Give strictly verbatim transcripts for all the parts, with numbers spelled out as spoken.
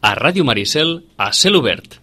A Ràdio Maricel, a cel obert.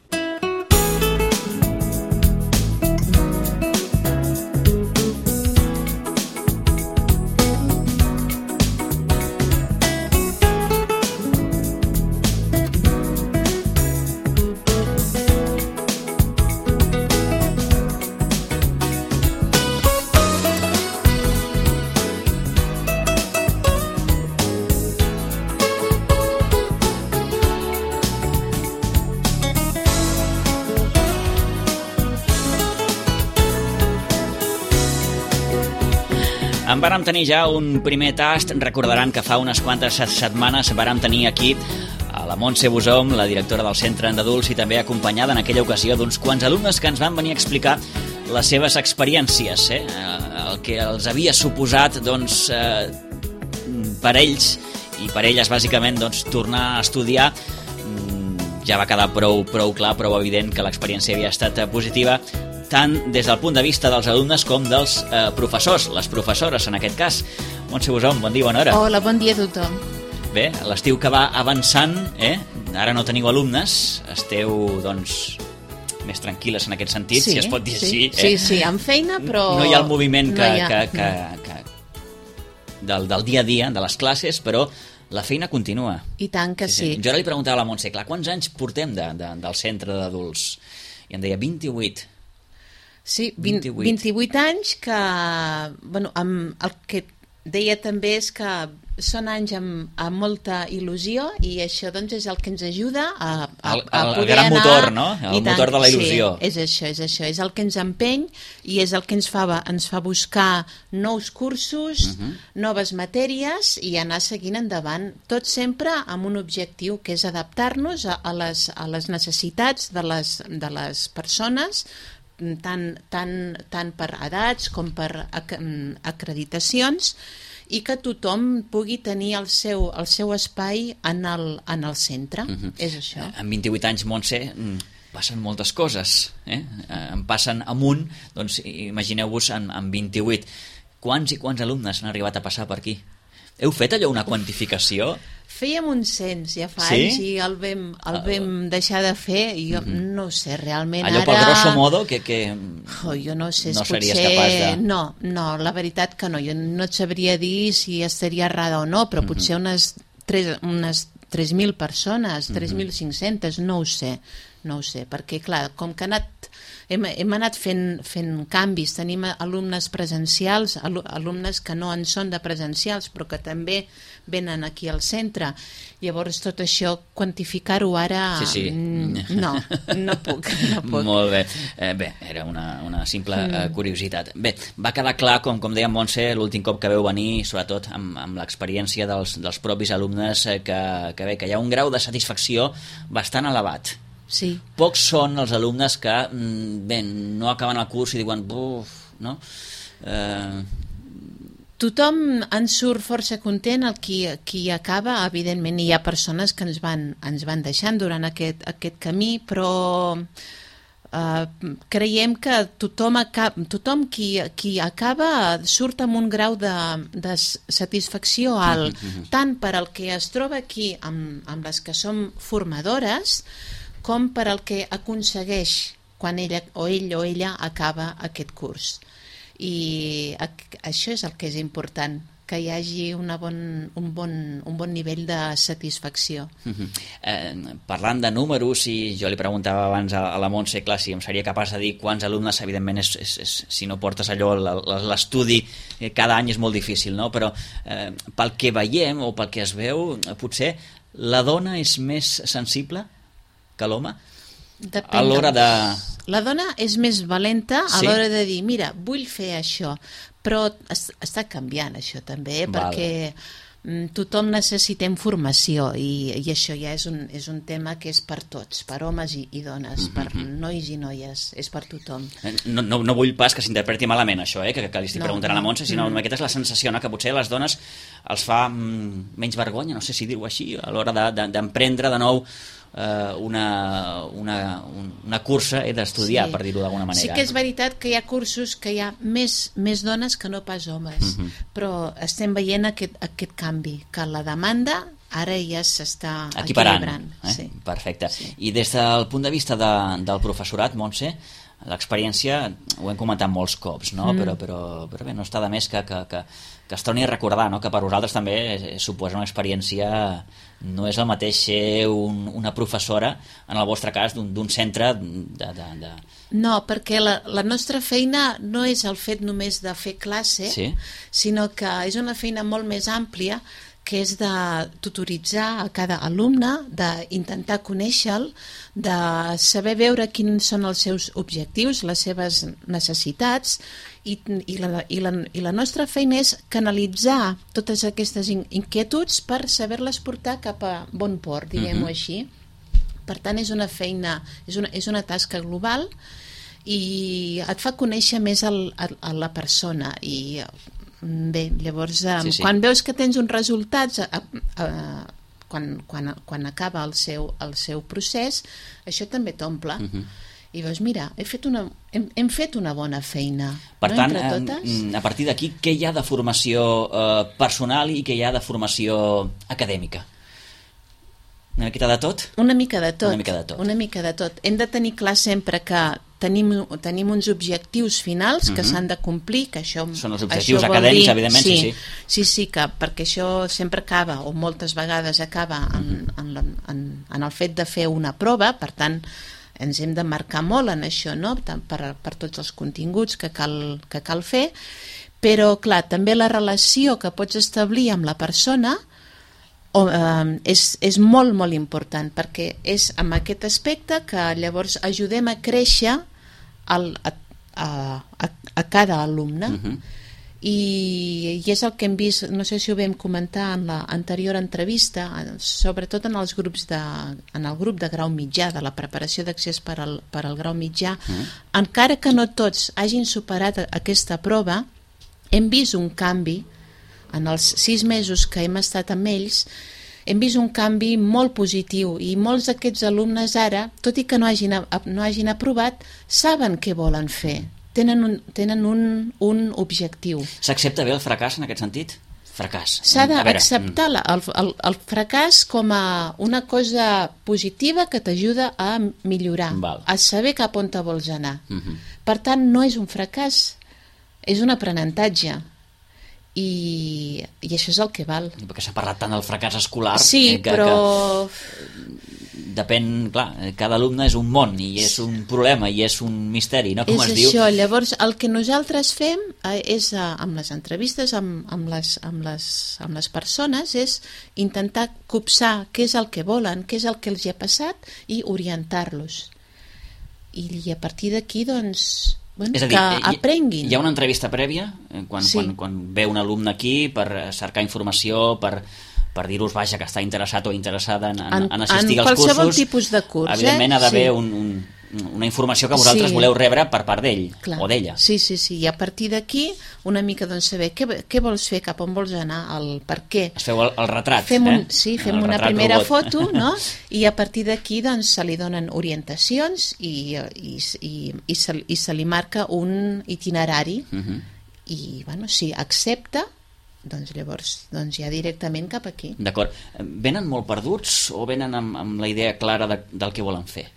En vàrem tenir ja un primer tast. Recordaran que fa unes quantes setmanes vàrem tenir aquí a la Montse Busom, la directora del Centre d'Adults, i també acompanyada en aquella ocasió d'uns quants alumnes que ens van venir a explicar les seves experiències, eh? el que els havia suposat doncs, eh, per ells i per elles bàsicament doncs, tornar a estudiar. Ja va quedar prou, prou clar, prou evident que l'experiència havia estat positiva, tant des del punt de vista dels alumnes com dels eh, professors, les professores en aquest cas. Montse Busom, bon dia, bona hora. Hola, bon dia a tothom. Bé, l'estiu que va avançant, eh? Ara no teniu alumnes, esteu, doncs, més tranquil·les en aquest sentit, sí, si es pot dir sí, així. Eh? Sí, sí, amb feina, però... No hi ha el moviment que, no ha... que, que, que, del, del dia a dia, de les classes, però la feina continua. I tant que sí. sí. Jo ara li preguntava a la Montse, clar, quants anys portem de, de, del centre d'adults? I em deia vint-i-vuit. Sí, vint, vint-i-vuit. vint-i-vuit anys que, bueno, amb el que deia també és que són anys amb, amb molta il·lusió i això doncs és el que ens ajuda a, a, el, a poder el gran anar... motor, no? El tant, motor de la il·lusió. Sí, és això, és això, és el que ens empeny i és el que ens fa, ens fa buscar nous cursos, uh-huh. noves matèries i anar seguint endavant, tot sempre amb un objectiu que és adaptar-nos a, a, les, a les necessitats de les, de les persones, tant, tant, tant per edats com per ac acreditacions, i que tothom pugui tenir el seu, el seu espai en el, en el centre. Uh-huh. És això. En vint-i-vuit anys, Montse, passen moltes coses. Eh? En passen amunt, doncs imagineu-vos en, en vint-i-vuit. Quants i quants alumnes han arribat a passar per aquí? Heu fet allò una quantificació? Fèiem un cens ja fa sí? anys i el vam, el vam deixar de fer i jo mm-hmm. no sé, realment allò ara... Allò pel grosso modo que... que... Oh, jo no sé, no potser... series capaç de... No, no, la veritat que no, jo no et sabria dir si estaria errada o no, però mm-hmm. potser unes tres, unes tres mil persones, tres mil cinc-centes, no ho sé, no ho sé, perquè clar, com que ha anat... Hem, hem anat fent, fent canvis, tenim alumnes presencials, alumnes que no en són de presencials, però que també venen aquí al centre. Llavors tot això, quantificar-ho ara... Sí, sí. No, no puc. No puc. Molt bé. Eh, bé, era una, una simple mm. eh, curiositat. Bé, va quedar clar, com, com deia Montse, l'últim cop que veu venir, sobretot amb, amb l'experiència dels, dels propis alumnes, eh, que, que, bé, que hi ha un grau de satisfacció bastant elevat. Sí. Pocs són els alumnes que bé, no acaben el curs i diuen buf, no? Eh... Tothom en surt força content, el qui, qui acaba, evidentment hi ha persones que ens van, ens van deixant durant aquest, aquest camí, però eh, creiem que tothom, acaba, tothom qui, qui acaba surt amb un grau de, de satisfacció alt, mm-hmm. tant per al que es troba aquí amb, amb les que som formadores, com per al que aconsegueix quan ella o ell o ella acaba aquest curs. I això és el que és important, que hi hagi una bon, un, bon, un bon nivell de satisfacció. Uh-huh. eh, parlant de números, i jo li preguntava abans a, a la Montse, clar, si em seria capaç de dir quants alumnes, evidentment, és, és, és, si no portes allò, l'estudi eh, cada any és molt difícil, no? Però eh, pel que veiem o pel que es veu, potser la dona és més sensible que l'home? A l'hora de... La dona és més valenta a sí? l'hora de dir, mira, vull fer això, però es, està canviant això també, eh? Perquè tothom necessitem formació i, i això ja és un, és un tema que és per tots, per homes i, i dones, mm-hmm. per nois i noies, és per tothom. No, no, no vull pas que s'interpreti malament això, eh? que, que li estic no, preguntant no. a la Montse, sinó mm. aquesta és la sensació, no? Que potser a les dones els fa mm, menys vergonya, no sé si dir-ho així, a l'hora d'emprendre de, de, de nou Una, una, una cursa eh, d'estudiar, sí. per dir-ho d'alguna manera. Sí que és veritat que hi ha cursos que hi ha més, més dones que no pas homes, uh-huh. però estem veient aquest, aquest canvi, que la demanda ara ja s'està equiparant, equilibrant. eh? Sí. Perfecte. Sí. I des del punt de vista de, del professorat, Montse, l'experiència, ho hem comentat molts cops, no? Mm. Però, però, però bé, no està de més que, que, que, que es torni a recordar, no? Que per vosaltres també suposa una experiència, no és el mateix ser un, una professora, en el vostre cas, d'un centre de... de, de... No, perquè la, la nostra feina no és el fet només de fer classe, sí? sinó que és una feina molt més àmplia, que és de tutoritzar a cada alumne, d'intentar conèixer-lo, de saber veure quins són els seus objectius, les seves necessitats, i, i, la, i, la, i la nostra feina és canalitzar totes aquestes inquietuds per saber-les portar cap a bon port, diguem-ho uh-huh. així. Per tant, és una feina, és una, és una tasca global i et fa conèixer més el, a, a la persona i... Bé, llavors, eh, sí, sí. quan veus que tens uns resultats, eh, eh, quan, quan, quan acaba el seu, el seu procés, això també t'omple. Uh-huh. I veus, mira, he fet una, hem, hem fet una bona feina. Per no, tant, entre totes? a partir d'aquí, què hi ha de formació eh, personal i què hi ha de formació acadèmica? Una miqueta de tot? Una mica de tot. Una mica de tot. Una mica de tot. Hem de tenir clar sempre que tenim, tenim uns objectius finals que uh-huh. s'han de complir, que això... Són els objectius acadèmics, dir, evidentment, sí, sí, sí. Sí, sí, que perquè això sempre acaba, o moltes vegades acaba en, uh-huh. en, la, en, en el fet de fer una prova, per tant, ens hem de marcar molt en això, no? per, per tots els continguts que cal, que cal fer, però, clar, també la relació que pots establir amb la persona o, eh, és, és molt, molt important, perquè és amb aquest aspecte que llavors ajudem a créixer el, a, a, a, a cada alumne. Uh-huh. I, i és el que hem vist, no sé si ho vam comentar en l'anterior entrevista, sobretot en els grups de, en el grup de grau mitjà, de la preparació d'accés per al, per al grau mitjà, uh-huh. encara que no tots hagin superat aquesta prova, hem vist un canvi. En els sis mesos que hem estat amb ells, hem vist un canvi molt positiu i molts d'aquests alumnes ara, tot i que no hagin, no hagin aprovat, saben què volen fer. Tenen un, tenen un, un objectiu. S'accepta bé el fracàs en aquest sentit? Fracàs. S'ha d'acceptar el, el, el fracàs com a una cosa positiva que t'ajuda a millorar, Val. a saber cap on te vols anar. Uh-huh. Per tant, no és un fracàs, és un aprenentatge. I, i això és el que val. Perquè s'ha parlat tant del fracàs escolar. Sí, eh, que, però... Que depèn, clar, cada alumne és un món i és un problema i és un misteri, no? Com és es això, diu. Llavors el que nosaltres fem eh, és, eh, amb les entrevistes amb, amb, les, amb, les, amb les persones, és intentar copsar què és el que volen, què és el que els hi ha passat i orientar-los. I, i a partir d'aquí, doncs... Bueno, és a dir, que aprenguin. Hi ha una entrevista prèvia quan, sí. quan, quan ve un alumne aquí per cercar informació, per, per dir-vos vaja, que està interessat o interessada en, en, en assistir en als cursos. En qualsevol tipus de curs. Evidentment eh? ha d'haver sí. un, un, una informació que vosaltres sí. voleu rebre per part d'ell o d'ella. Sí, sí, sí. I a partir d'aquí una mica doncs saber què, què vols fer, cap on vols anar, el per què. Es feu el, el retrat. Fem un, eh? Sí, fem el una primera robot. foto, no? I a partir d'aquí doncs se li donen orientacions i, i, i, i, se, i se li marca un itinerari uh-huh. i, bueno, si accepta, doncs llavors doncs ja directament cap aquí. D'acord. Venen molt perduts o venen amb, amb la idea clara de, del que volen fer?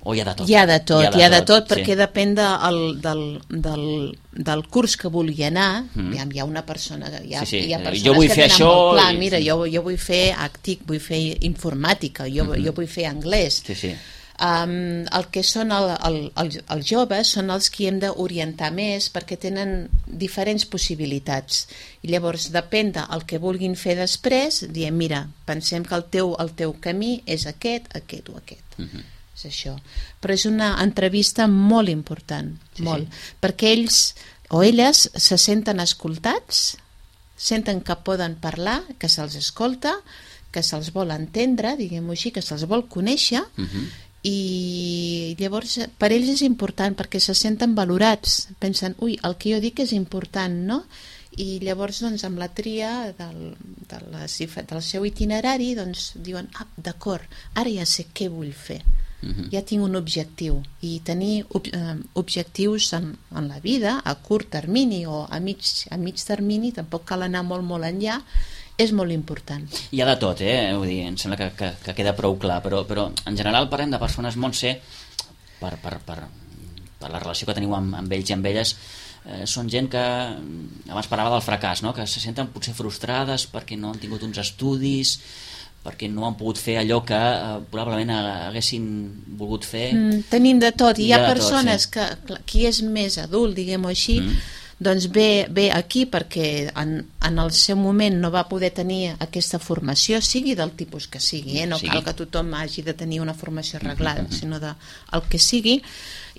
O hi ha de tot? Hi ha de tot, hi ha de, hi ha de tot, tot perquè sí. depèn de, el, del, del, del curs que vulgui anar. Mm. Hi, ha, hi ha una persona... Hi ha, sí, sí. hi ha persones jo vull que fer tenen això... molt clar, i... mira, jo, jo vull fer àctic, vull fer informàtica, jo, mm-hmm. jo vull fer anglès. Sí, sí. Um, el que són el, el, el, els joves són els que hem d'orientar més perquè tenen diferents possibilitats i llavors depèn del que vulguin fer després, diem mira, pensem que el teu, el teu camí és aquest, aquest o aquest. Mm-hmm. És això. Però és una entrevista molt important, sí, molt, sí. perquè ells o elles se senten escoltats, senten que poden parlar, que se'ls escolta, que se'ls vol entendre, diguem-ho així, que se'ls vol conèixer, uh-huh. i llavors per ells és important perquè se senten valorats, pensen, ui, el que jo dic és important, no? I llavors doncs, amb la tria del, de les, del seu itinerari doncs, diuen, ah, d'acord, ara ja sé què vull fer. Uh-huh. Ja tinc un objectiu i tenir ob eh, objectius en, en la vida a curt termini o a mig, a mig termini, tampoc cal anar molt molt enllà, és molt important. Hi ha de tot, eh? Vull dir, em sembla que, que, que queda prou clar, però, però en general parlem de persones, Montse, per, per, per, per la relació que teniu amb, amb ells i amb elles, eh, són gent que, abans parlava del fracàs, no? Que se senten potser frustrades perquè no han tingut uns estudis, perquè no han pogut fer allò que eh, probablement haguessin volgut fer. Mm, tenim de tot, i hi ha, hi ha persones tot, sí. que, qui és més adult, diguem-ho així, mm. doncs ve, ve aquí perquè en, en el seu moment no va poder tenir aquesta formació, sigui del tipus que sigui, eh? No sí. cal que tothom hagi de tenir una formació arreglada, mm-hmm. sinó de, el que sigui.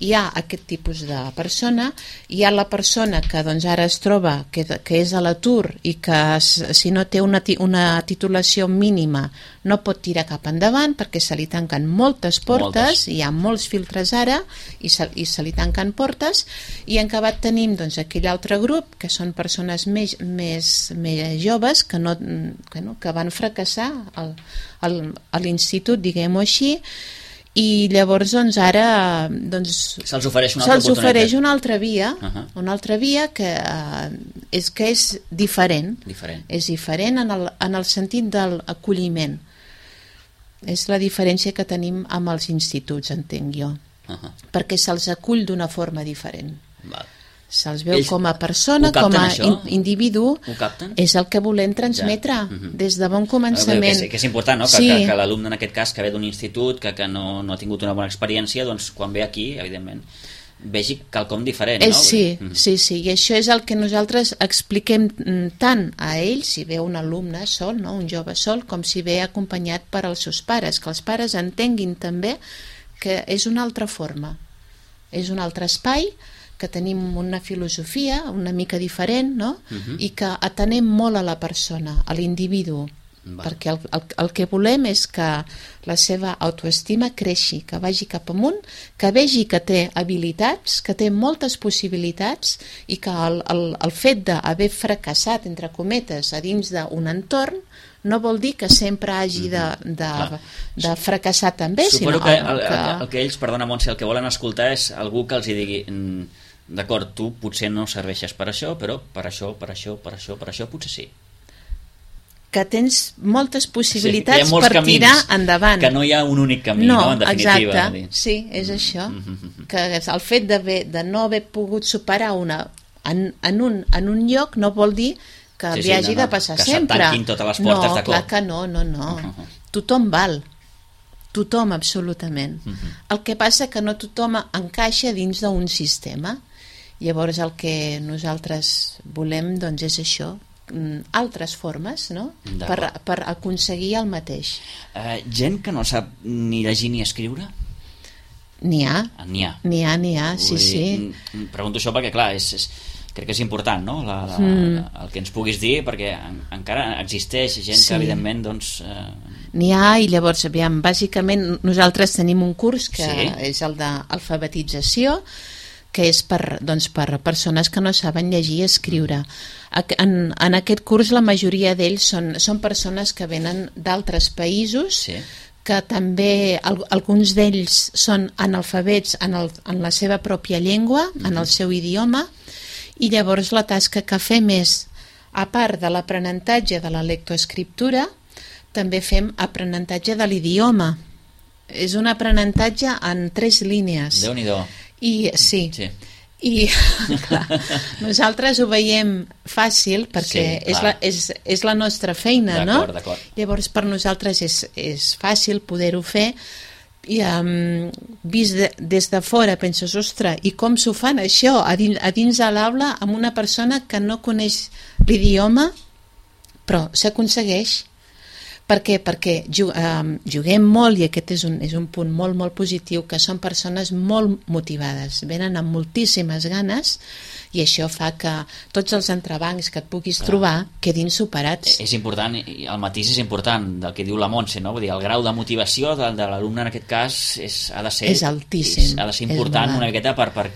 Hi ha aquest tipus de persona, hi ha la persona que doncs, ara es troba que, que és a l'atur i que si no té una, una titulació mínima no pot tirar cap endavant perquè se li tanquen moltes portes, moltes. Hi ha molts filtres ara i se, i se li tanquen portes, i en acabat tenim doncs, aquell altre grup que són persones més, més, més joves que, no, que, no, que van fracassar al, al, a l'institut, diguem-ho així, i llavors doncs ara doncs, se'ls ofereix una altra se'ls ofereix una altra via, uh-huh. una altra via que, uh, és, que és diferent, diferent. és diferent en el, en el sentit de l'acolliment. És la diferència que tenim amb els instituts, entenc jo, uh-huh. perquè se'ls acull d'una forma diferent. Val. Se'ls veu Ells com a persona, com a in, individu, és el que volem transmetre ja. uh-huh. des de bon començament. Que és, que és important, no? que, sí. que, que l'alumne en aquest cas que ve d'un institut, que, que no, no ha tingut una bona experiència, doncs quan ve aquí, evidentment, vegi quelcom diferent. Eh, no? Sí, uh-huh. sí, sí, i això és el que nosaltres expliquem tant a ells, si ve un alumne sol, no? Un jove sol, com si ve acompanyat per als seus pares, que els pares entenguin també que és una altra forma, és un altre espai, que tenim una filosofia una mica diferent, no? Uh-huh. I que atenem molt a la persona, a l'individu, perquè el, el, el que volem és que la seva autoestima creixi, que vagi cap amunt, que vegi que té habilitats, que té moltes possibilitats, i que el, el, el fet d'haver fracassat, entre cometes, a dins d'un entorn, no vol dir que sempre hagi de, de, de fracassar també. Suposo sinó que el, que el que ells, perdona Montse, el que volen escoltar és algú que els hi digui d'acord, tu potser no serveixes per això, però per això, per això, per això, per això potser sí. Que tens moltes possibilitats sí, per camins, tirar endavant. Que no hi ha un únic camí, no, no en definitiva. Exacte, sí, és això. Mm-hmm. Que el fet de, de no haver pogut superar una en, en, un, en un lloc no vol dir que sí, li sí, hagi no, no, de passar que sempre. Que se tanquin totes les portes no, de cop. Clar que no, no, no. Uh-huh. Tothom val. Tothom, absolutament. Uh-huh. El que passa que no tothom encaixa dins d'un sistema. Llavors el que nosaltres volem doncs és això, altres formes, no? Per, per aconseguir el mateix. Uh, gent que no sap ni llegir ni escriure? N'hi ha. N'hi ha. N'hi ha, n'hi ha, sí, dir, sí. Pregunto això perquè, clar, és, és, crec que és important, no? La, la, mm. la, el que ens puguis dir, perquè en, encara existeix gent sí. que, evidentment, doncs... Eh... N'hi ha, i llavors, aviam, bàsicament nosaltres tenim un curs que sí. és el d'alfabetització, que és per, doncs, per persones que no saben llegir i escriure. En, en aquest curs la majoria d'ells són, són persones que venen d'altres països, sí. que també alguns d'ells són analfabets en, el, en la seva pròpia llengua, mm-hmm. en el seu idioma, i llavors la tasca que fem és, a part de l'aprenentatge de la lectoescriptura, també fem aprenentatge de l'idioma. És un aprenentatge en tres línies. Déu-n'hi-do. I sí, sí. i clar, nosaltres ho veiem fàcil perquè sí, és, la, és, és la nostra feina, no? D'acord. Llavors per nosaltres és, és fàcil poder-ho fer, i um, vist de, des de fora penses, ostres, i com s'ho fan això a dins, a dins de l'aula amb una persona que no coneix l'idioma, però s'aconsegueix. Per què? Perquè juguem molt, i aquest és un, és un punt molt, molt positiu, que són persones molt motivades, venen amb moltíssimes ganes, i això fa que tots els entrebancs que et puguis Clar. trobar quedin superats. És important, i el matís és important del que diu la Montse, no? Vull dir, el grau de motivació de, de l'alumne en aquest cas és, ha de ser, és altíssim. És, ha de ser important una miqueta per, per,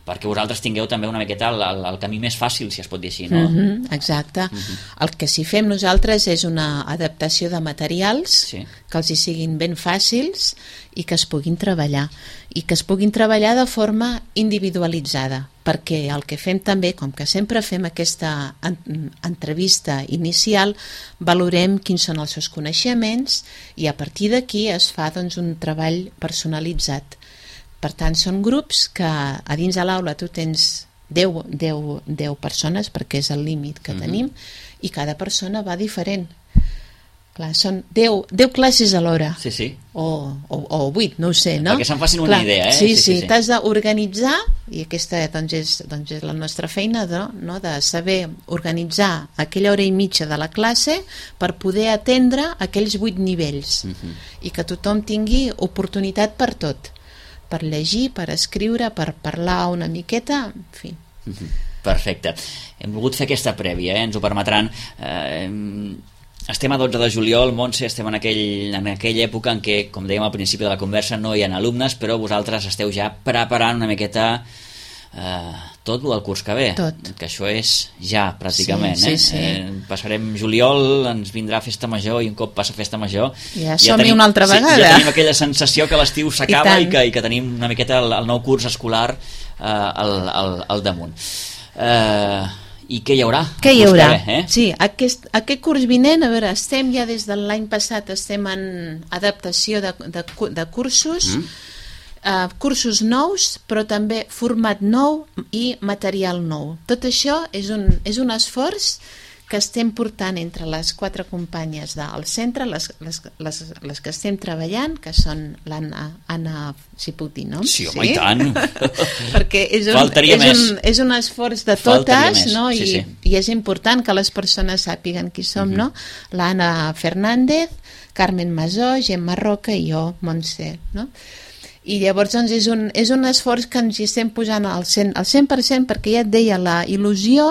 perquè vosaltres tingueu també una miqueta el, el, el camí més fàcil, si es pot dir així, no? Mm-hmm, exacte. Mm-hmm. El que sí fem nosaltres és una adaptació de materials sí. que els hi siguin ben fàcils i que es puguin treballar. I que es puguin treballar de forma individualitzada, perquè el que fem també, com que sempre fem aquesta en- entrevista inicial, valorem quins són els seus coneixements i a partir d'aquí es fa doncs, un treball personalitzat. Per tant, són grups que a dins de l'aula tu tens deu, deu, deu persones, perquè és el límit que mm-hmm. tenim, i cada persona va diferent. Clar, són deu, deu classes a l'hora. Sí, sí. O, o, o vuit, no ho sé, no? Perquè se'n facin una Clar, idea, eh? Sí, sí, sí, sí, sí. t'has d'organitzar, i aquesta doncs, és, doncs, és la nostra feina, no? No? De saber organitzar aquella hora i mitja de la classe per poder atendre aquells vuit nivells mm-hmm. i que tothom tingui oportunitat per tot. Per llegir, per escriure, per parlar una miqueta, en fi. Perfecte. Hem volgut fer aquesta prèvia, eh? Ens ho permetran. Eh, estem a dotze de juliol, Montse, estem en, aquell, en aquella època en què, com dèiem al principi de la conversa, no hi ha alumnes, però vosaltres esteu ja preparant una miqueta eh, tot el del curs que ve. Tot. Que això és ja, pràcticament. Sí, eh? sí, sí. Eh, passarem juliol, ens vindrà festa major i un cop passa festa major Ja som-hi una altra vegada. Sí, ja tenim aquella sensació que l'estiu s'acaba i, i, que, i que tenim una miqueta el, el nou curs escolar eh, al, al, al damunt. Eh, I què hi haurà? Què hi haurà? Ve, eh? Sí, aquest, aquest curs vinent, a veure, estem ja des de l'any passat, estem en adaptació de, de, de cursos, mm. uh, cursos nous, però també format nou i material nou. Tot això és un, és un esforç que estem portant entre les quatre companyes del centre, les, les, les, les que estem treballant, que són l'Anna, Anna, si puc dir noms? Sí, home, sí? I tant! Perquè és un, és, un, és un esforç de totes, no? I, sí, sí. I és important que les persones sàpiguen qui som, uh-huh. no? L'Anna Fernández, Carmen Masó, Gemma Roca i jo, Montse, no? I llavors doncs, és, un, és un esforç que ens hi estem posant al cent, al cent per cent, perquè ja et deia, la il·lusió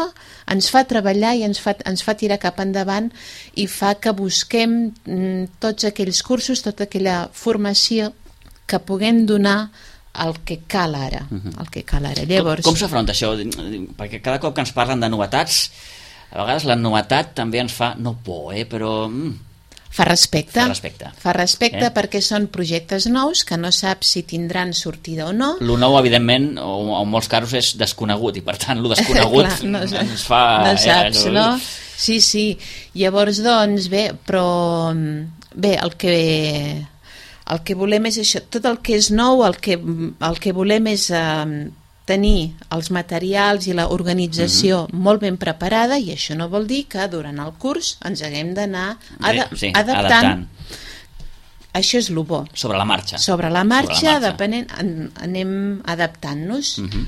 ens fa treballar i ens fa, ens fa tirar cap endavant i fa que busquem mm, tots aquells cursos, tota aquella formació que puguem donar el que cal ara, uh-huh. el que cal ara. Llavors, com com s'afronta això? Perquè cada cop que ens parlen de novetats, a vegades la novetat també ens fa, no por, eh, però... Mm, Fa respecte, fa respecte, fa respecte eh? perquè són projectes nous que no saps si tindran sortida o no. Lo nou, evidentment, o en molts casos és desconegut i per tant lo desconegut Clar, no, ens fa... No saps, eh, no? Sí, sí. Llavors, doncs, bé, però bé, el que el que volem és això, tot el que és nou, el que, el que volem és eh, tenir els materials i l'organització uh-huh. molt ben preparada, i això no vol dir que durant el curs ens haguem d'anar ad sí, adaptant. adaptant. Això és el bo. Sobre la marxa. Sobre la marxa, Sobre la marxa. depenent, an, anem adaptant-nos. Uh-huh.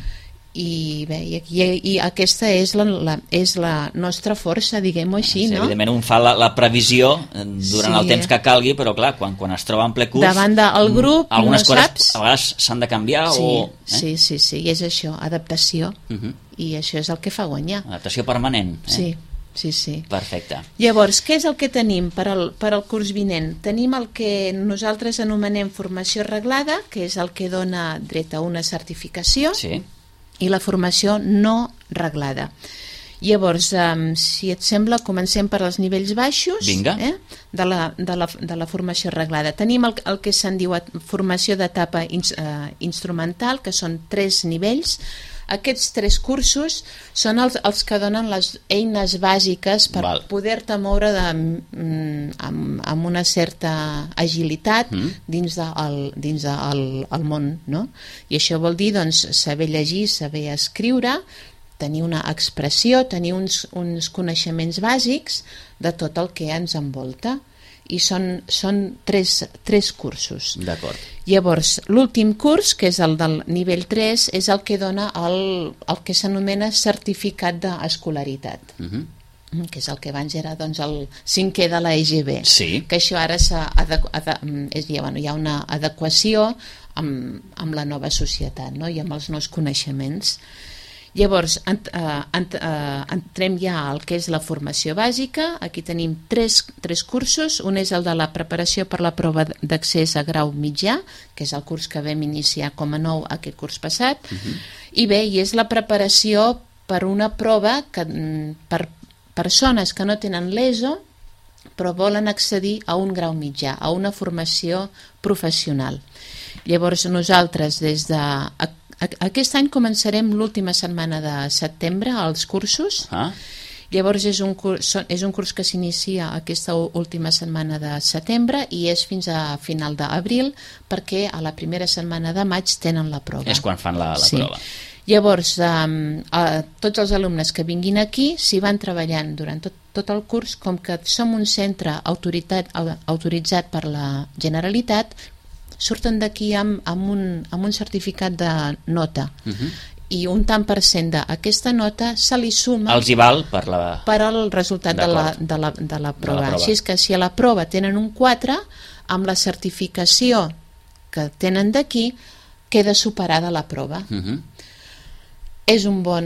I bé, i, i, i aquesta és la, la, és la nostra força, diguem-ho així, sí, no? Evidentment un fa la, la previsió durant sí. el temps que calgui, però clar, quan, quan es troba en ple curs... Davant del grup, algunes no coses saps... a vegades s'han de canviar sí, o... Eh? Sí, sí, sí, i és això, adaptació. Uh-huh. I això és el que fa guanyar. Adaptació permanent. Eh? Sí, sí, sí. Perfecte. Llavors, què és el que tenim per al, per al curs vinent? Tenim el que nosaltres anomenem formació reglada, que és el que dona dret a una certificació. Sí. I la formació no reglada. Llavors, um, si et sembla, comencem per als nivells baixos eh, de, la, de, la, de la formació reglada. Tenim el, el que se'n diu formació d'etapa ins, uh, instrumental, que són tres nivells. Aquests tres cursos són els, els que donen les eines bàsiques per Val. poder-te moure de, mm, amb, amb una certa agilitat mm. dins, de, el, dins del de el món, no? I això vol dir doncs, saber llegir, saber escriure, tenir una expressió, tenir uns, uns coneixements bàsics de tot el que ens envolta. I són, són tres, tres cursos. D'acord. Llavors, l'últim curs, que és el del nivell tres, és el que dona el, el que s'anomena certificat d'escolaritat. Uh-huh. Que és el que abans era doncs, el cinquè de la E G B. Sí. Que això ara s'ha és, ja, bueno, hi ha una adequació amb, amb la nova societat, no? I amb els nous coneixements. Llavors, ent, uh, ent, uh, entrem ja al que és la formació bàsica. Aquí tenim tres, tres cursos. Un és el de la preparació per la prova d'accés a grau mitjà, que és el curs que vam iniciar com a nou aquest curs passat. Uh-huh. I bé, i és la preparació per una prova que, per persones que no tenen l'ESO, però volen accedir a un grau mitjà, a una formació professional. Llavors, nosaltres, des de... Aquest any començarem l'última setmana de setembre, els cursos. Ah. Llavors, és un curs, és un curs que s'inicia aquesta última setmana de setembre i és fins a final d'abril, perquè a la primera setmana de maig tenen la prova. És quan fan la, la sí. prova. Llavors, um, a tots els alumnes que vinguin aquí s'hi van treballant durant tot, tot el curs, com que som un centre autoritat, autoritzat per la Generalitat, surten d'aquí amb, amb, un, amb un certificat de nota. Uh-huh. I un tant per cent d'aquesta nota se li suma... Els hi val per la... per al resultat de la, de, la, de la prova. De la prova. Així és que si a la prova tenen un quatre, amb la certificació que tenen d'aquí, queda superada la prova. Uh-huh. És un bon,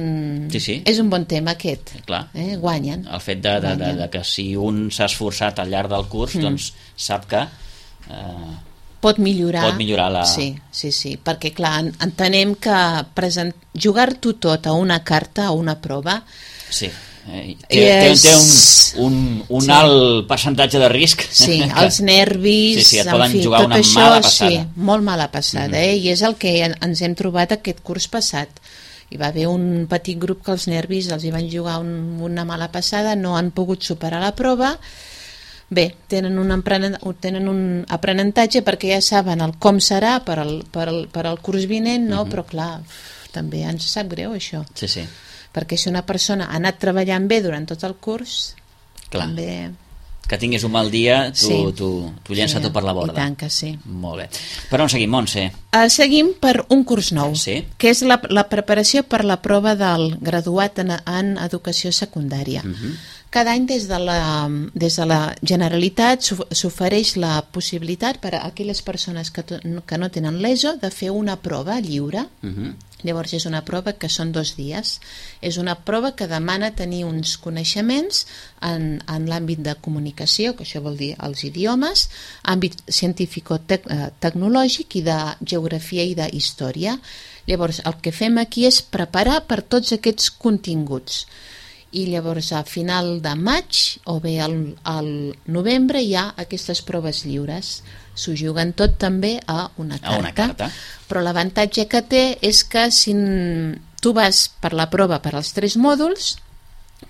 sí, sí. és un bon tema aquest. Clar. Eh? Guanyen. El fet de, de, de, de que si un s'ha esforçat al llarg del curs, mm. doncs sap que... Eh, pot millorar. Pot millorar la... Sí, sí, sí, perquè clar, entenem que present... jugar-t'ho tot a una carta, a una prova... Sí, eh, té, és... té un, un, un sí. alt percentatge de risc. Sí, que... els nervis... Sí, sí, et en poden fi, jugar tot una això, mala passada. Sí, molt mala passada, mm-hmm. eh? I és el que ens hem trobat aquest curs passat. Hi va haver un petit grup que els nervis els hi van jugar un, una mala passada, no han pogut superar la prova. Bé, tenen un, tenen un aprenentatge perquè ja saben el com serà per al, per al, per al curs vinent, no? Uh-huh. Però clar, també ens sap greu això. Sí, sí. Perquè si una persona ha anat treballant bé durant tot el curs, clar. També... Que tinguis un mal dia, tu, sí. tu, tu llença sí, tot per la borda. I tant que sí. Molt bé. Per on seguim, Montse? Uh, seguim per un curs nou, sí? que és la, la preparació per la prova del graduat en, en educació secundària. Uh-huh. Cada any des de la, des de la Generalitat s'ofereix la possibilitat per a aquelles persones que, to, que no tenen l'ESO de fer una prova lliure. Uh-huh. Llavors és una prova que són dos dies. És una prova que demana tenir uns coneixements en, en l'àmbit de comunicació, que això vol dir els idiomes, àmbit científico-tecnològic i de geografia i d'història. Llavors el que fem aquí és preparar per tots aquests continguts. I llavors a final de maig o bé al, al novembre hi ha aquestes proves lliures. S'ho juguen tot també a una carta. A una carta. Però l'avantatge que té és que si tu vas per la prova per als tres mòduls,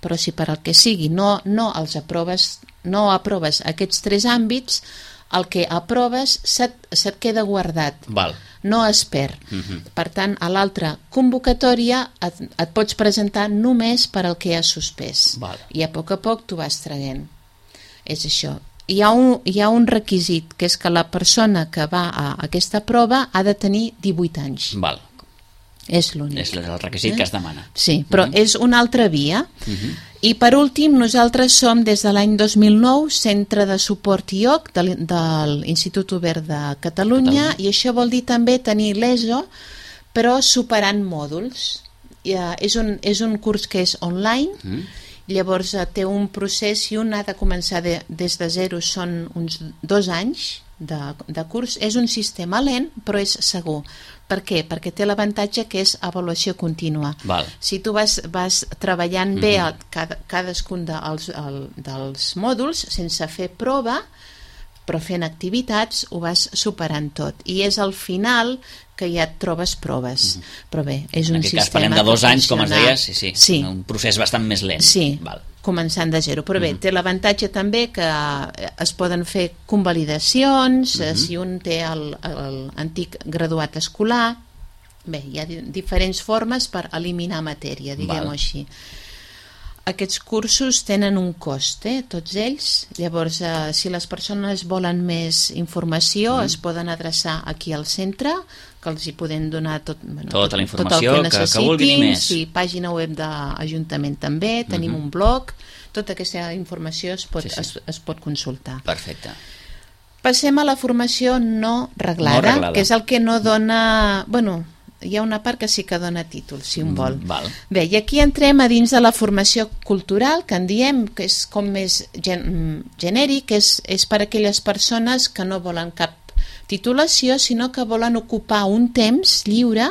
però si per al que sigui no, no els aproves, no aproves aquests tres àmbits, el que aproves se't, se't queda guardat. Val. No es perd. Uh-huh. Per tant, a l'altra convocatòria et, et pots presentar només per al que has suspès. Val. I a poc a poc tu vas traient. És això. Hi ha, un, hi ha un requisit, que és que la persona que va a aquesta prova ha de tenir divuit anys. Val. És l'únic. És el requisit eh? que es demana. Sí, però uh-huh. és una altra via. Uh-huh. I per últim, nosaltres som des de l'any dos mil nou Centre de Suport I O C de, de l'Institut Obert de Catalunya, Catalunya, i això vol dir també tenir l'ESO, però superant mòduls. I, uh, és, un, és un curs que és online, uh-huh. llavors uh, té un procés i un ha de començar de, des de zero, són uns dos anys de, de curs. És un sistema lent, però és segur. Per què? Perquè té l'avantatge que és avaluació contínua. Val. Si tu vas, vas treballant mm-hmm. bé a cada, cadascun dels, el, dels mòduls, sense fer prova, però fent activitats, ho vas superant tot. I és al final que ja et trobes proves. Mm-hmm. Però bé, és un sistema... En aquest cas parlem de dos anys, com es deia, sí, sí, sí. Un procés bastant més lent. Sí, Val. Començant de zero. Però bé, mm-hmm. té l'avantatge també que es poden fer convalidacions, mm-hmm. si un té l'antic graduat escolar. Bé, hi ha diferents formes per eliminar matèria, diguem-ho així. Aquests cursos tenen un cost, eh, tots ells. Llavors, eh, si les persones volen més informació, mm. es poden adreçar aquí al centre, que els hi podem donar tot, bueno, tota tot, la informació tot el que, que, que vulguin més. Sí, pàgina web d'Ajuntament també, tenim mm-hmm. un blog, tota aquesta informació es pot, sí, sí. Es, es pot consultar. Perfecte. Passem a la formació no reglada, no reglada, que és el que no dona... Bueno, hi ha una part que sí que dona títol, si un vol. Mm, val. Bé, i aquí entrem a dins de la formació cultural, que en diem que és com més gen genèric, és, és per a aquelles persones que no volen cap titulació, sinó que volen ocupar un temps lliure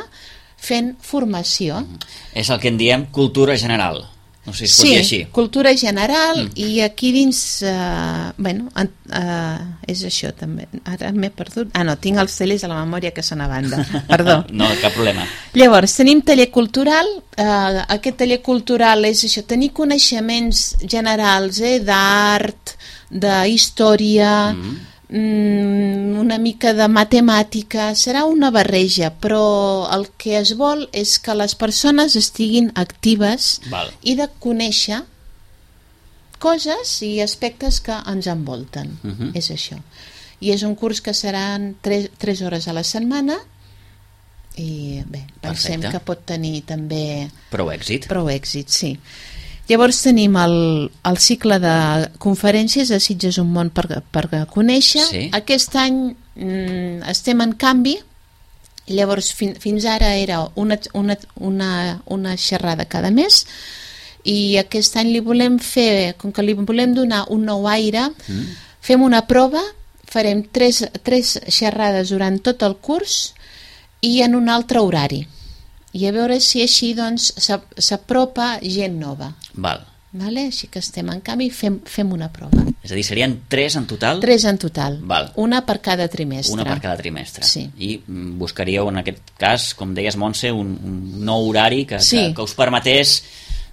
fent formació. Mm. És el que en diem cultura general. No sé si es pot sí, dir així. Cultura general, mm. i aquí dins, uh, bueno, uh, és això també. Ara m'he perdut. Ah, no, tinc els tallers a la memòria que són a banda. Perdó. No, cap problema. Llavors, tenim taller cultural. Uh, aquest taller cultural és això, tenir coneixements generals, eh, d'art, de història, mm. una mica de matemàtica, serà una barreja, però el que es vol és que les persones estiguin actives. Val. I de conèixer coses i aspectes que ens envolten. Uh-huh. És això. I és un curs que seran tres hores a la setmana i bé, pensem Perfecte. Que pot tenir també prou èxit. Prou èxit, sí. Llavors tenim el, el cicle de conferències de Sitges un món per, per conèixer. Sí. Aquest any mm, estem en canvi. Llavors fin, fins ara era una, una, una, una xerrada cada mes i aquest any li volem fer, com que li volem donar un nou aire, mm. fem una prova, farem tres, tres xerrades durant tot el curs i en un altre horari. I a veure si així doncs s'apropa gent nova. Val. Vale? Així que estem en canvi fem, fem una prova. És a dir, serien tres en total? Tres en total. Val. Una per cada trimestre. Una per cada trimestre. Sí. I buscaríeu en aquest cas, com deies, Montse, un, un nou horari que, sí. que, que us permetés,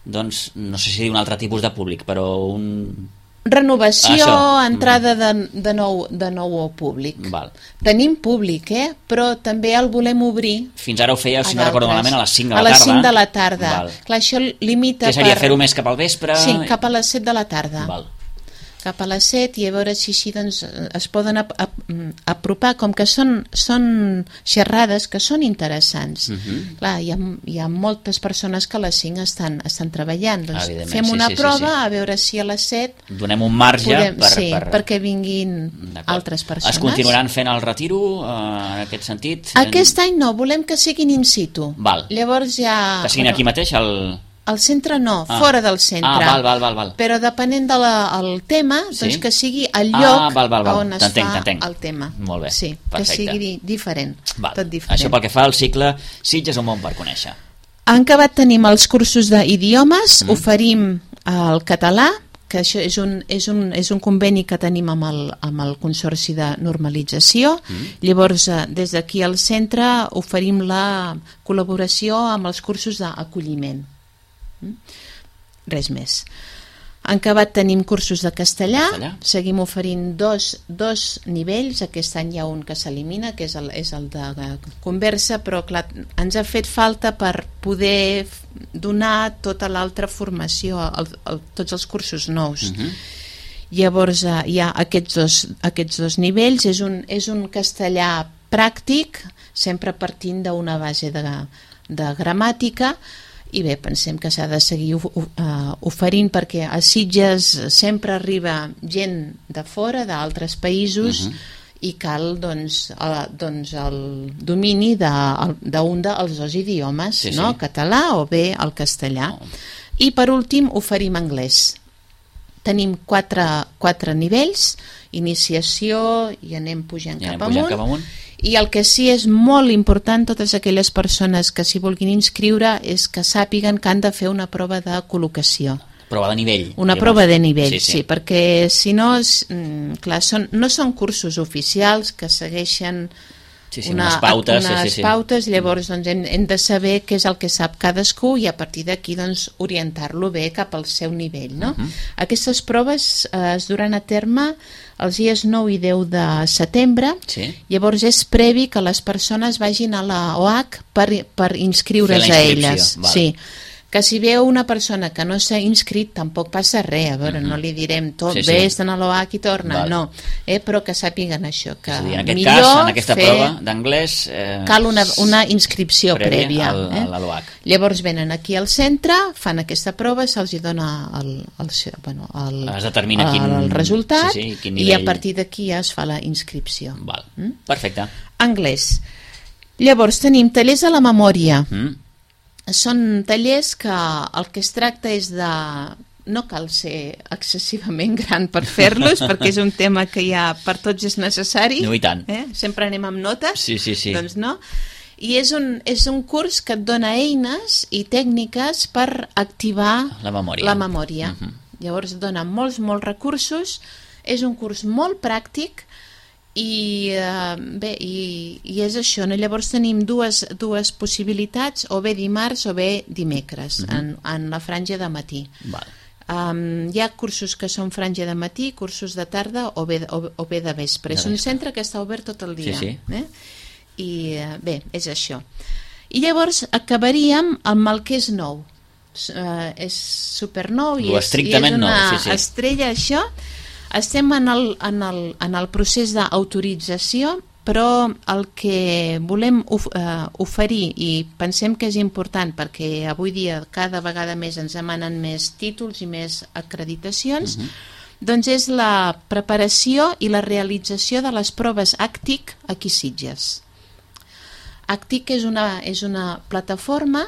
doncs, no sé si dir un altre tipus de públic, però un... Renovació, ah, entrada de, de, nou, de nou públic. Val. Tenim públic, eh? Però també el volem obrir. Fins ara ho fèieu, si no recordo malament, a les cinc de la tarda. A les tarda. cinc de la tarda. Val. Clar, això limita... Què seria, per... fer-ho més cap al vespre? Sí, cap a les set de la tarda. Val. Cap a les set i a veure si així doncs, es poden ap ap apropar, com que són, són xerrades que són interessants. Uh-huh. Clar, hi ha, hi ha moltes persones que a les cinc estan, estan treballant. Doncs fem una sí, sí, prova sí, sí. a veure si a les set... Donem un marge podem, per, sí, per... perquè vinguin altres persones. Es continuaran fent el retiro uh, en aquest sentit? Aquest any no, volem que siguin in situ. Val. Llavors ja... Que siguin aquí mateix al... Al centre no, ah. fora del centre. Ah, val, val, val, val. Però depenent del de tema, doncs sí? que sigui el lloc ah, val, val, val. on es fa el tema. Molt bé, sí, perfecte. Que sigui diferent, val. Tot diferent. Això pel que fa al cicle Sitges un món per conèixer. En acabat tenim els cursos d'idiomes, mm. oferim el català, que això és un, és un, és un conveni que tenim amb el, amb el Consorci de Normalització. Mm. Llavors, des d'aquí al centre oferim la col·laboració amb els cursos d'acolliment. Res més. En acabat tenim cursos de castellà, castellà. Seguim oferint dos, dos nivells. Aquest any hi ha un que s'elimina, que és el, és el de conversa, però clar, ens ha fet falta per poder donar tota l'altra formació, el, el, tots els cursos nous. Uh-huh. Llavors hi ha aquests dos, aquests dos nivells. És un, és un castellà pràctic, sempre partint d'una base de, de gramàtica. I bé, pensem que s'ha de seguir uh, oferint perquè a Sitges sempre arriba gent de fora, d'altres països, uh-huh. i cal doncs, el, doncs, el domini d'un de, dels dos idiomes, sí, no? Sí. Català o bé el castellà. Oh. I per últim oferim anglès. Tenim quatre, quatre nivells, iniciació i anem pujant, I anem cap, pujant amunt. cap amunt. I el que sí és molt important, totes aquelles persones que s'hi vulguin inscriure, és que sàpiguen que han de fer una prova de col·locació. Prova de nivell. Una prova de nivell, sí, sí. sí perquè si no, clar, són, no són cursos oficials que segueixen sí, sí, una, unes pautes, unes sí, sí, sí. pautes, llavors doncs, hem, hem de saber què és el que sap cadascú i a partir d'aquí doncs, orientar-lo bé cap al seu nivell. No? Uh-huh. Aquestes proves eh, es duran a terme els dies nou i deu de setembre, sí. Llavors és previ que les persones vagin a la O H per, per inscriure's a elles. Val. Sí. Que si veu una persona que no s'ha inscrit tampoc passa res, a veure, uh-huh. no li direm tot, sí, sí. Ves a l'O H i torna, val. No, eh, però que sàpiguen això, que és a dir, en aquest millor cas, en aquesta fer... prova d'anglès eh, cal una, una inscripció prèvia, al, eh? a l'O H. Llavors venen aquí al centre, fan aquesta prova, se'ls dona el, el, bueno, el, es determina quin, el resultat, sí, sí, quin nivell... i a partir d'aquí ja es fa la inscripció. Val. Mm? Perfecte. Anglès. Llavors tenim tallers de la memòria. Mm. Són tallers que el que es tracta és de... No cal ser excessivament gran per fer-los, perquè és un tema que ja per tots és necessari. No, i tant. Eh? Sempre anem amb notes. Sí, sí, sí. Doncs no. I és un, és un curs que et dona eines i tècniques per activar la memòria. La memòria. Uh-huh. Llavors et dona molts, molts recursos. És un curs molt pràctic i, eh, bé, i, i és això. No? Llavors tenim dues, dues possibilitats, o bé dimarts o bé dimecres, uh-huh. en, en la franja de matí. Val. Um, hi ha cursos que són franja de matí, cursos de tarda o bé, o, o bé de vespre. És un centre que està obert tot el dia. Sí, sí. Eh? I bé, és això. I llavors acabaríem amb el que és nou. Uh, és supernou i és, i és una nou, sí, sí. estrella, això. Estem en el, en el, en el procés d'autorització, però el que volem of, uh, oferir, i pensem que és important perquè avui dia cada vegada més ens demanen més títols i més acreditacions, uh-huh. doncs és la preparació i la realització de les proves ACTIC aquí a Sitges. ACTIC és una, és una plataforma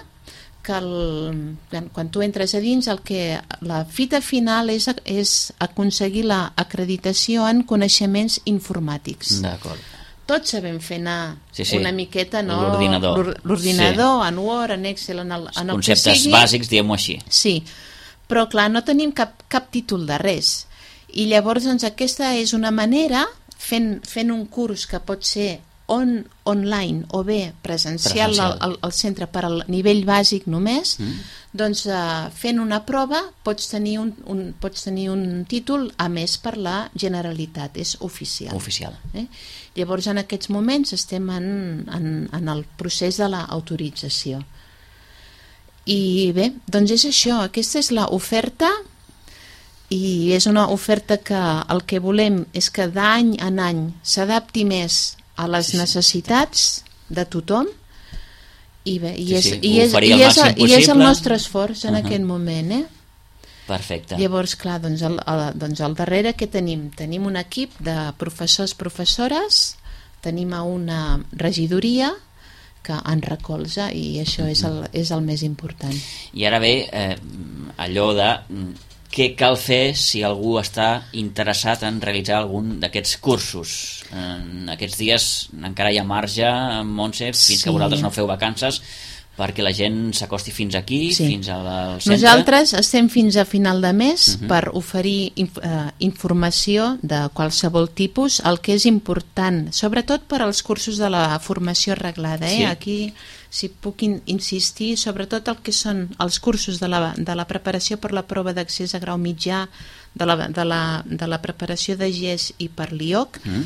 que el, quan tu entres a dins el que la fita final és, és aconseguir l'acreditació en coneixements informàtics. D'acord. Tots sabem fer anar sí, sí. una miqueta, no? L'ordinador. L'ordinador, sí. En Word, en Excel, en el, en el conceptes que sigui. Bàsics, diguem-ho així. Sí, però clar, no tenim cap, cap títol de res. I llavors doncs, aquesta és una manera, fent, fent un curs que pot ser on, online o bé presencial, presencial. Al, al centre per al nivell bàsic només, mm. doncs uh, fent una prova pots tenir un, un, pots tenir un títol a més per la Generalitat, és oficial. Oficial. Eh? Llavors en aquests moments estem en, en, en el procés de l'autorització. I bé, doncs és això, aquesta és l'oferta i és una oferta que el que volem és que d'any en any s'adapti més a les sí, necessitats sí. de tothom i bé, i, sí, és, sí. i, és, i, és, i és el nostre esforç en uh-huh. aquest moment, eh? Perfecte. Llavors, clar, doncs al, al, doncs al darrere què tenim? Tenim un equip de professors, professores, tenim una regidoria que en recolza i això és el, és el més important. I ara ve eh, allò de què cal fer si algú està interessat en realitzar algun d'aquests cursos. En aquests dies encara hi ha marge, Montse, fins sí. que vosaltres no feu vacances, perquè la gent s'acosti fins aquí, sí. fins al centre. Nosaltres estem fins a final de mes uh-huh. per oferir inf eh, informació de qualsevol tipus, el que és important, sobretot per als cursos de la formació reglada. Eh? Sí. Aquí, si puc in insistir, sobretot el que són els cursos de la, de la preparació per la prova d'accés a grau mitjà, de la, de la, de la preparació de G E S i per l'I O C, uh-huh.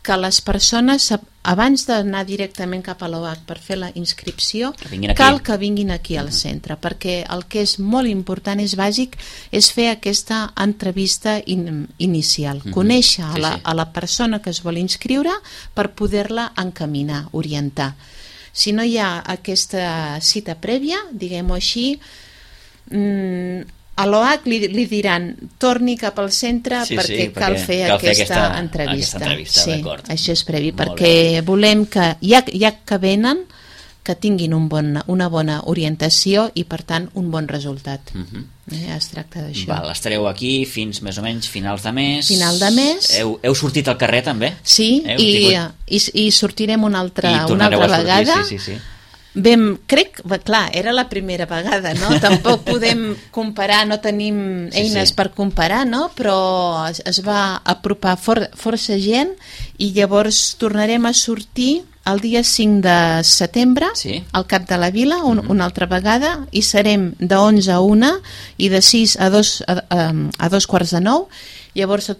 que les persones, abans d'anar directament cap a l'O H per fer la inscripció, que cal que vinguin aquí al centre, uh-huh. perquè el que és molt important, és bàsic, és fer aquesta entrevista in, inicial, uh-huh. conèixer a la, a la persona que es vol inscriure per poder-la encaminar, orientar. Si no hi ha aquesta cita prèvia, diguem-ho així, mmm, a l'O H li, li diran torni cap al centre sí, perquè, sí, perquè cal fer cal aquesta, fer aquesta entrevista, aquesta entrevista sí, això és previ, molt perquè bé. Volem que ja, ja que venen que tinguin un bon, una bona orientació i per tant un bon resultat. Uh-huh. eh, es tracta d'això. Estareu aquí fins més o menys finals de mes. Final de mes. Heu, heu sortit al carrer també? Sí, i, i, i sortirem una altra, una altra vegada. Sí, sí, sí. Vam, crec, clar, era la primera vegada, no? Tampoc podem comparar, no tenim eines sí, sí. per comparar, no? Però es, es va apropar for, força gent i llavors tornarem a sortir el dia cinc de setembre sí. al Cap de la Vila, un, mm-hmm. una altra vegada, i serem de onze a una i de sis a dos, a, a, a dos quarts de nou. Llavors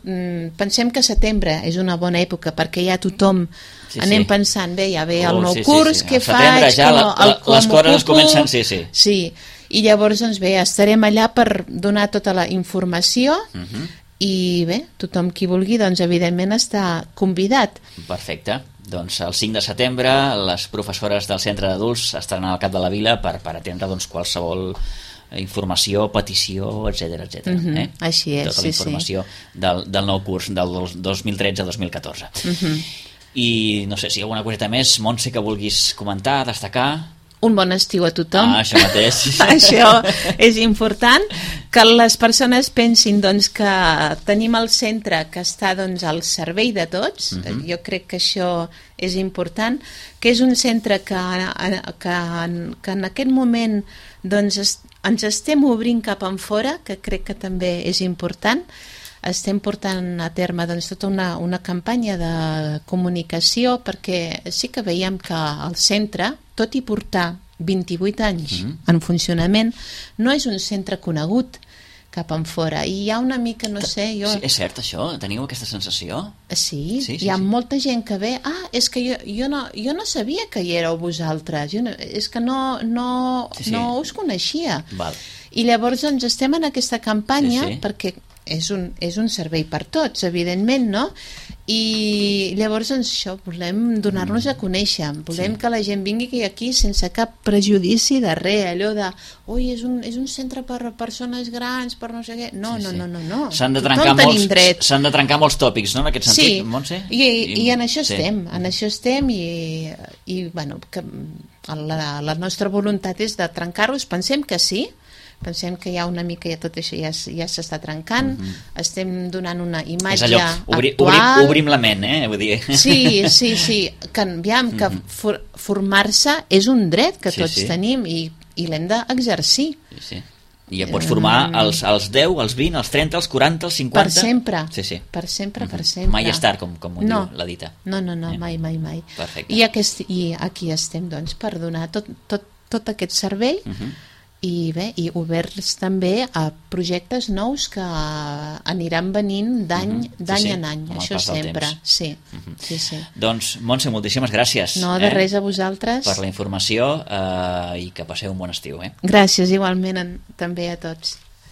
pensem que setembre és una bona època perquè ja tothom sí, anem sí. pensant, bé, ja ve el oh, nou sí, curs, sí, sí. què faig, ja com, la, la, el, com les coses es comencen, sí, sí. Sí, i llavors doncs bé, estarem allà per donar tota la informació uh-huh. i bé, tothom qui vulgui doncs evidentment està convidat. Perfecte. Doncs el cinc de setembre les professores del centre d'adults estaran al Cap de la Vila per, per atendre doncs, qualsevol informació, petició, etcètera, etcètera. Uh-huh. eh? Així és, tota la informació sí, sí. Del, del nou curs del dos mil tretze dos mil catorze. Uh-huh. I no sé si hi ha alguna coseta més, Montse, que vulguis comentar, destacar. Un bon estiu a tothom. Ah, això mateix. Això és important, que les persones pensin doncs, que tenim el centre que està doncs, al servei de tots. Uh-huh. Jo crec que això és important, que és un centre que, que, que en aquest moment doncs, es, ens estem obrint cap enfora, que crec que també és important. Estem portant a terme doncs, tota una, una campanya de comunicació, perquè sí que veiem que el centre, tot i portar vint-i-vuit anys mm. en funcionament, no és un centre conegut cap enfora. I hi ha una mica, no sé... Jo... Sí, és cert això? Teniu aquesta sensació? Sí, sí, sí hi ha sí. molta gent que ve... Ah, és que jo, jo, no, jo no sabia que hi éreu vosaltres. Jo no, és que no, no, sí, sí. no us coneixia. Val. I llavors doncs, estem en aquesta campanya sí, sí. perquè és un, és un servei per tots, evidentment, no? I llavors doncs, això, volem donar-nos a conèixer, volem sí. que la gent vingui aquí sense cap prejudici de res, allò de oi, és un, és un centre per persones grans, per no sé què, no, sí, no, no, no, no. S'han de, trencar molts, s'han de trencar molts tòpics, no?, en aquest sentit, sí. Montse? I, i, i en això sí. estem, en això estem i, i bueno, que la, la nostra voluntat és de trencar-los, pensem que sí, pensem que hi ha una mica, ja tot això ja, ja s'està trencant, uh -huh. estem donant una imatge allò, obri, actual. Obrim, obrim la ment, eh? Vull dir. Sí, sí, sí, que, aviam, que uh -huh. for, formar-se és un dret que sí, tots sí. tenim i, i l'hem d'exercir. Sí, sí. I ja pots formar els, els deu, els vint, els trenta, els quaranta, els cinquanta... Per sempre, sí, sí. per sempre, uh -huh. per sempre. Mai és tard, com, com ho no. diu la dita. No, no, no, eh? mai, mai, mai. Perfecte. I, aquest, I aquí estem, doncs, per donar tot, tot, tot aquest servei uh -huh. i bé, i oberts també a projectes nous que aniran venint d'any uh -huh. d'any sí, sí. en any, això sempre sí, uh -huh. sí, sí. Doncs Montse, moltíssimes gràcies no, de eh? res a vosaltres per la informació eh, i que passeu un bon estiu eh? Gràcies igualment en, també a tots.